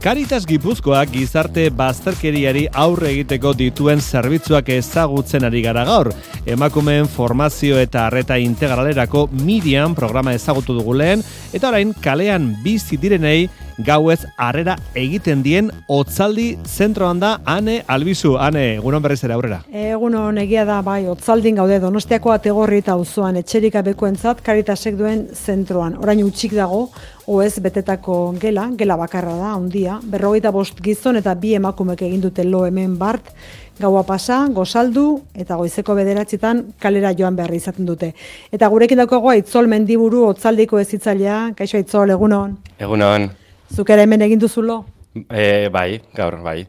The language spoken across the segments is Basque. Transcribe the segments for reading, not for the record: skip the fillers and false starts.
Caritas Gipuzkoak gizarte bazterkeriari aurre egiteko dituen zerbitzuak ezagutzen ari gara gaur. Emakumeen formazio eta arreta integralerako Miriam programa ezagutu dugu lehen, eta orain kalean bizi direnei gauez harrera egiten dien Otzaldi zentroan da Ane Albizu. Ane, egunon berriz ere aurrera. Egunon, egia da, bai, Otzaldin gaude Donostiako Ategorri eta auzoan etxerik gabekoentzat Caritasek duen zentroan. Orain utxik dago, OEZ betetako gela bakarra da, handia, 45 gizon eta 2 emakumek egin dute lo hemen bart, gaua pasa, gozaldu eta goizeko 9 kalera joan behar izaten dute. Eta gurekin daukago Aitzol Mendiburu Otzaldiko hezitzailea. Kaixo Aitzol, egunon. Egunon. Zuk ere hemen egin duzulo? Bai, gaur, bai.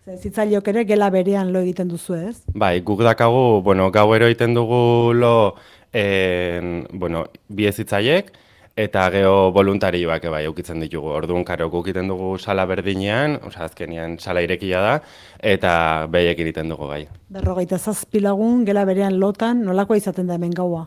Hezitzaileok ere gela berean lo egiten duzu, ez? Bai, guk dakagu, gauero egiten dugu lo, bi hezitzaileek, eta geho voluntarioak bai eukitzen ditugu. Orduan, karo, guk egiten dugu sala berdinean, azkenean sala irekia da, eta behiek egiten dugu gai. 47 lagun gela berean lotan, nolakoa izaten da hemen gaua?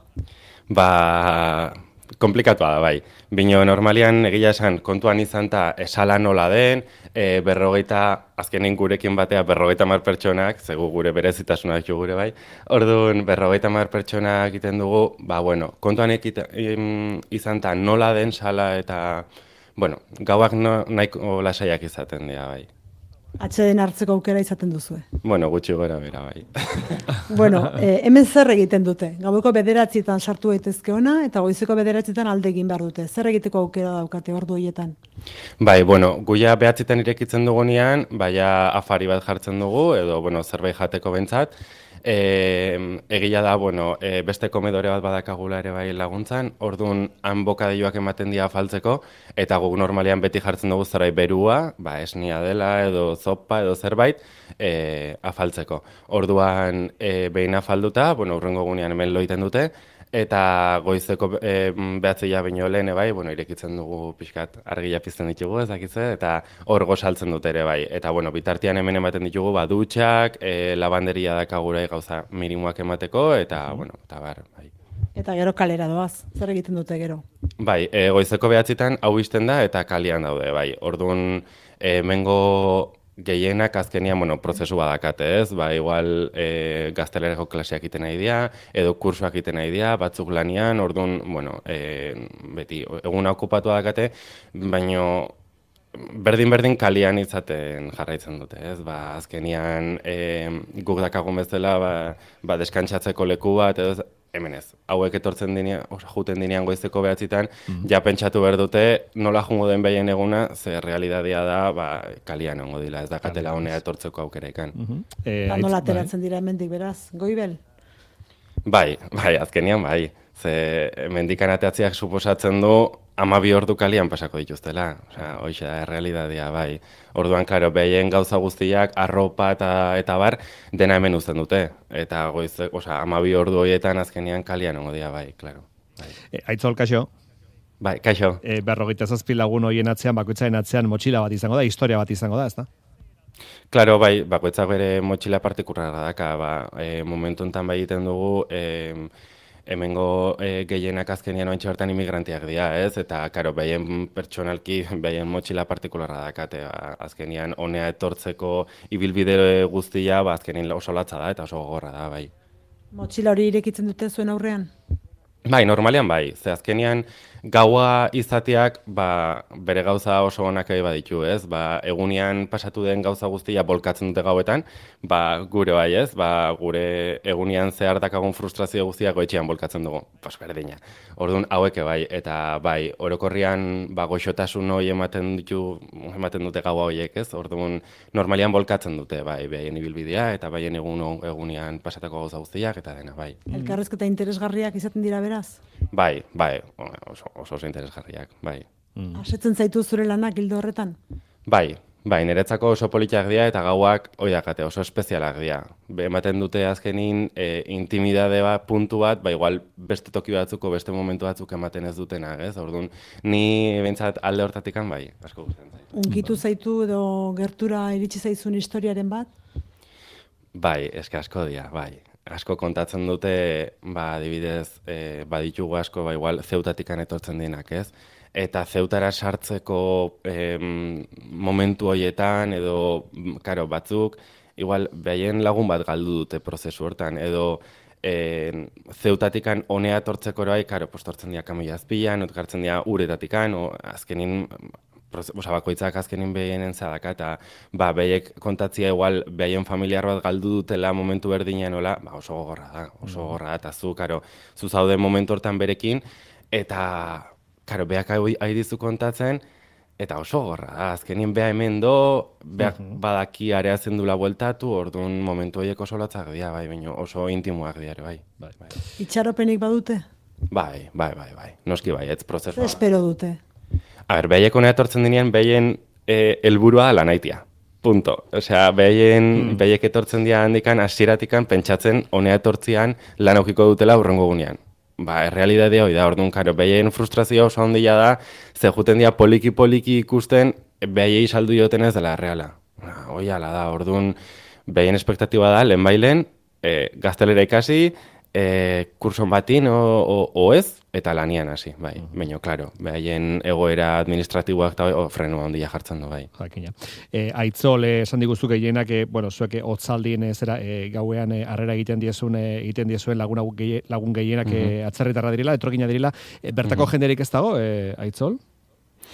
Komplikatua da, bai. Bino normalian egia esan kontuan izan eta esala nola den, azkenin gurekin batea 50 pertsonak, zegu gure berezitasunak jo gure bai, orduan 50 pertsonak egiten dugu, kontuan izan eta nola den sala eta, gauak nahiko lasaiak izaten dira, bai. Atxeden hartzeko aukera izaten duzue. Gutxi gora bera, bai. Hemen zer egiten dute? Gaueko 9 sartu daitezke ona, eta goizeko 9 alde egin behar dute. Zer egiteko aukera daukate ordu horietan? Bai, guia 9 irekitzen dugunean, baina afari bat jartzen dugu, edo, zerbait jateko bentsat. Egia da, beste komedore bat badakagula ere bai laguntzan, orduan han bokadioak ematen dira afaltzeko, eta guk normalian beti jartzen dugu zerbait berua, esnia dela edo zopa edo zerbait, afaltzeko. Orduan behin afalduta, urrengo gunean hemen loiten dute, eta goizeko 9 baino lehen bai, irekitzen dugu pixkat argia pizten ditugu, ezakitze, eta hor gozaltzen dute ere bai. Eta bitartean hemen ematen ditugu dutxak, lavanderia dakagura gauza minimoak emateko, eta bar, bai. Eta gero kalera doaz, zer egiten dute gero? Bai, goizeko 9 hau izten da, eta kalian daude, bai. Orduan, mengo gehienak azkenian, prozesu badakate, ez? Igual gaztelerako klaseak iten nahi dira, edo kursuak iten nahi dira, batzuk lanian, orduan, beti, eguna okupatu dakate, baina berdin kalian izaten jarraitzen dute, ez? Azkenian guk dakagun bezala, deskantsatzeko leku bat, edo hemen ez. Hauek etortzen dinean, juten dinean goizeko 9, ja pentsatu behar dute, nola jungo den behien eguna, ze realidadia da, kalian ongo dila, ez dakatela honea etortzeko aukera ikan. Nola ateratzen dira hemendik beraz, Goibel? Bai, azkenian bai. Ze mendikan ateatziak suposatzen du 12 ordu kalian pasako dituztela. Hoxe da, realidadia, bai. Orduan, klaro, behien gauza guztiak, arropa eta bar, dena hemen uzten dute. Eta 12 ordu horietan azkenian kalian ongo dira, bai, klaro. Aitzol, kaixo? Bai, kaixo. 47 lagun horien atzean, bakoitzaren atzean motxila bat izango da, historia bat izango da, ezta? Klaro, bai, bakoitzak bere motxila partikularra daka, momentu enten bai egiten dugu, hemengo gehienak azkenian ointxe bertan imigrantiak dira, ez? Eta, karo, behien pertsonalki, behien motxila partikularra dakate, azkenian honea etortzeko ibilbide guztia, azkenien oso latza da, eta oso gogorra da, bai. Motxila hori irekitzen dute zuen aurrean? Bai, normalian bai. Ze azkenian gaua izateak bere gauza oso onak baditu, ez? Egunean pasatu den gauza guztia bolkatzen dute gauetan, gure bai, ez? Gure egunean zehar dakagun frustrazio guztiak goetxean bolkatzen dugu. Berdina. Orduan haueke bai, eta bai, orokorrian goxotasun hori ematen dute gaua horiek, ez? Orduan normalian bolkatzen dute, bai, behaien ibilbidea, eta baien egunean pasatako gauza guztiak, eta dena, bai. Elkarrezketa interesgarriak izaten dira beraz? Bai, oso interesgarriak, bai. Asetzen zaitu zure lanak hildo horretan? Bai, niretzako oso politak dira eta gauak oidakate, oso espezialak dira. Ematen dute azkenin intimidade bat, puntu bat, igual beste toki batzuko, beste momentu batzuk ematen ez dutenak, ez? Orduan, ni bentsat alde hortatikan bai, asko gustatzen zait. Unkitu zaitu edo gertura iritsi zaizun historiaren bat? Bai, asko dira, bai. Asko kontatzen dute, adibidez, baditugu asko, igual zeutatikan etortzen dienak, ez? eta Zeutara sartzeko momentu horietan, edo, karo, batzuk, igual, behaien lagun bat galdu dute prozesu hortan, edo Zeutatikan honea tortzeko eroai, karo, tortzen dira kamoia azpilan, otkartzen dira uretatikan, azkenin, bakoitzak azkenin behienen zadaka, eta behiek kontatzia igual, behaien familiar bat galdu dutela momentu berdinean, oso gogorra da, eta zu zaude momentu hortan berekin, eta, karo, beak haidizu kontatzen, eta oso gorra da, azkenin beha hemen beak badaki areatzen dula bueltatu, orduan momentu horiek oso lotzak dira, baina oso intimoak dira, bai. Itxaropenik badute? Bai, noski bai, ez prozesua. Espero dute? Behaiek honea etortzen dinean, behaien helburua lanaitia. Punto. Osea, behaiek etortzen dira handikan, hasieratikan pentsatzen honea etortzian lan aukiko dutela hurrengo gunean. Errealidadea hori da, orduan, karo, behien frustrazioa oso handia da, ze juten dira poliki ikusten, behiei saldu joten ez dela erreala. Hoi ala da, orduan, behien espektatiba da, lehenbailen, gaztelera ikasi, kurson batin o ez, eta lanian hasi, bai. Baina, klaro, behien egoera administratiboak eta frenua handia jartzen du, bai. Jakina. Aitzol, esan diguzuk gehienak, zuek hotzaldien gauean harrera egiten diezuen lagun gehienak atzerritarra direla, etorkina direla. Bertako jenderik ez dago, Aitzol?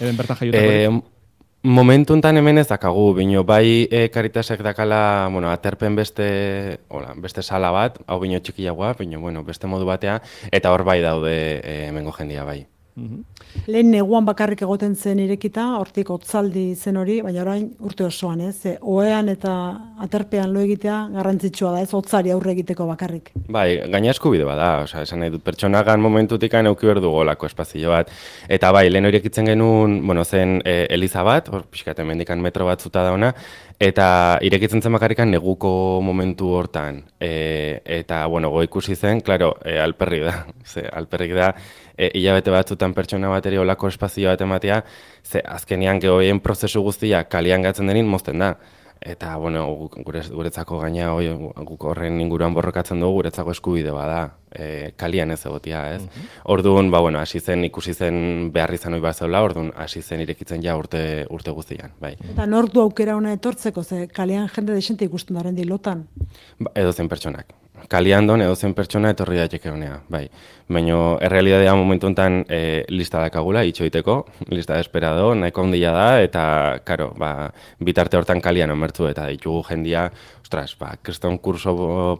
Eben bertan jaiutako? Momentu enten hemen ez dakagu, bino bai Caritasek dakala, aterpen beste sala bat, hau bino txikiagoa, bino beste modu batea, eta hor bai daude hemengo jendia bai. Lehen neguan bakarrik egoten zen irekita, hortik hotzaldi zen hori, baina orain urte osoan, ez? Ohean eta aterpean lo egitea garrantzitsua da, ez hotzari aurre egiteko bakarrik. Bai, gaina eskubide bada, esan nahi dut, pertsonagan momentutik euki behar dugu olako espazio bat. Eta bai, lehen hori ekitzen genuen, zen eliza bat, hor pixkat hemendikan metro bat zuta dauna, eta irekitzen zen bakarrikan neguko momentu hortan. Eta, go ikusi zen, klaro, alperrik da, hilabete batzutan pertsona bateri olako espazio bat ematea, ze azkenian gehoien prozesu guztia kalian gatzen denin mozten da. Eta, guretzako gaina, guk horren inguruan borrokatzen dugu, guretzako eskubide bada, kalian ez egotia, ez? Orduan, hasi zen, ikusi zen behar izan hori bat zeula, orduan, hasi zen irekitzen ja urte guztian, bai. Eta nor du aukera hona etortzeko, ze kalian jende desente ikusten daren dilotan? Edozen pertsonak. Kalian don edozen pertsona etorri daiteke honea, bai. Baina, errealidadea momentu enten lista dakagula, itxoiteko, lista esperado, nahiko handia da, eta, karo, bitarte hortan kalian omertzu, eta ditugu jendia, kriston kurso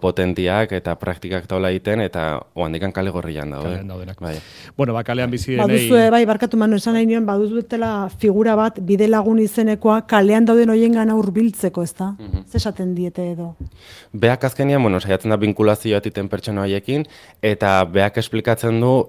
potentiak eta praktikak taula egiten, eta oandikan kale gorrian daude. Kalean daudenak. Bai. Kalean bizi denei... Baduzue, barkatu Manu, esan nahi nion, baduzutela figura bat, bide lagun izenekoa, kalean dauden hoien gana hurbiltzeko, ez da? Zesaten diete edo? Beak azkenian, saiatzen da binkulazioa titen pertsona horiekin, eta beak esplikatzen du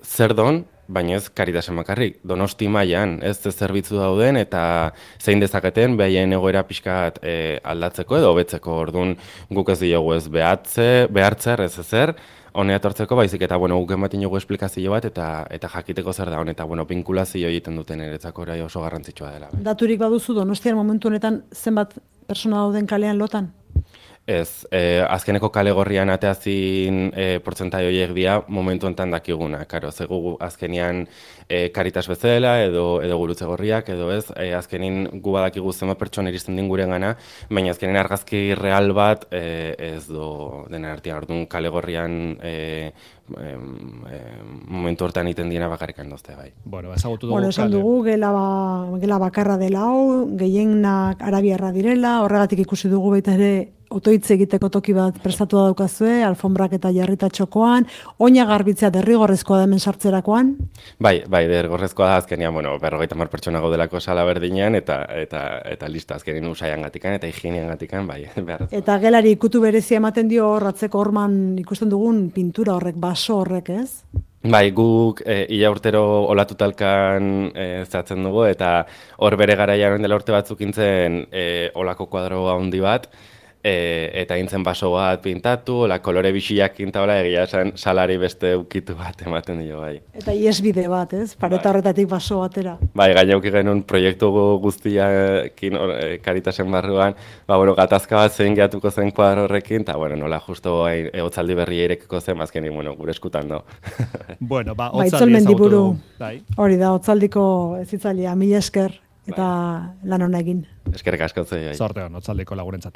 zer don, baina ez Caritasen bakarrik, Donosti mailan ez zerbitzu dauden eta zein dezaketen behaien egoera pixkat aldatzeko edo hobetzeko. Orduan guk ez diogu ez behartzer ez ezer, honea etortzeko baizik eta guk ematen dugu esplikazio bat eta jakiteko zer da eta binkulazio egiten duten eretzako orai oso garrantzitsua dela. Daturik baduzu Donostian momentu honetan zenbat pertsona dauden kalean lotan? Ez, azkeneko kale gorrian ateazin portzentai horiek dira momentu enten dakiguna. Karo, zegu azkenian Caritas bezala edo gurutze gorriak edo ez, azkenin gu badakigu zenbat pertsona iristen din guren gana, baina azkenin argazki real bat ez do dena artean. Orduan kale gorrian momentu hortan iten diena bakarrikan dozte, bai. Ezagutu dugu. Esan dugu, gela bakarra dela hau, gehienak arabiarra direla, horregatik ikusi dugu baita ere otoitze egiteko toki bat prestatu daukazue, alfombrak eta jarrita txokoan, oina garbitzea derrigorrezkoa da hemen sartzerakoan? Bai, derrigorrezkoa da azkenian, 50 pertsona gaudelako sala berdinean eta lista azkenin usaian gatikan eta higienian gatikan, bai. Eta gelari ikutu berezia ematen dio horratzeko horman ikusten dugun pintura horrek, baso horrek, ez? Bai, guk ia urtero olatutalkan zehatzen dugu eta hor bere garaian dela urte batzuk intzen olako kuadro handi bat, eta intzen baso bat pintatu, kolore bisiak kintaola, egia esan salari beste ukitu bat ematen dio bai. Eta iesbide bat, ez? Pareta horretatik baso batera. Bai, gainauki genuen proiektu guztiakin Karitasen barruan, gatazka bat zein gehatuko zen kuadro horrekin, eta nola justo Otzaldi berria irekiko zen, azkenik, gure eskutan do. Bueno, Otzaldi ezagutu dugu. Hori da, Otzaldiko ezitzailea, mila esker. Eta lan hona egin. Eskerrik asko zei. Zorte hon, Otzaldiko lagurentzat.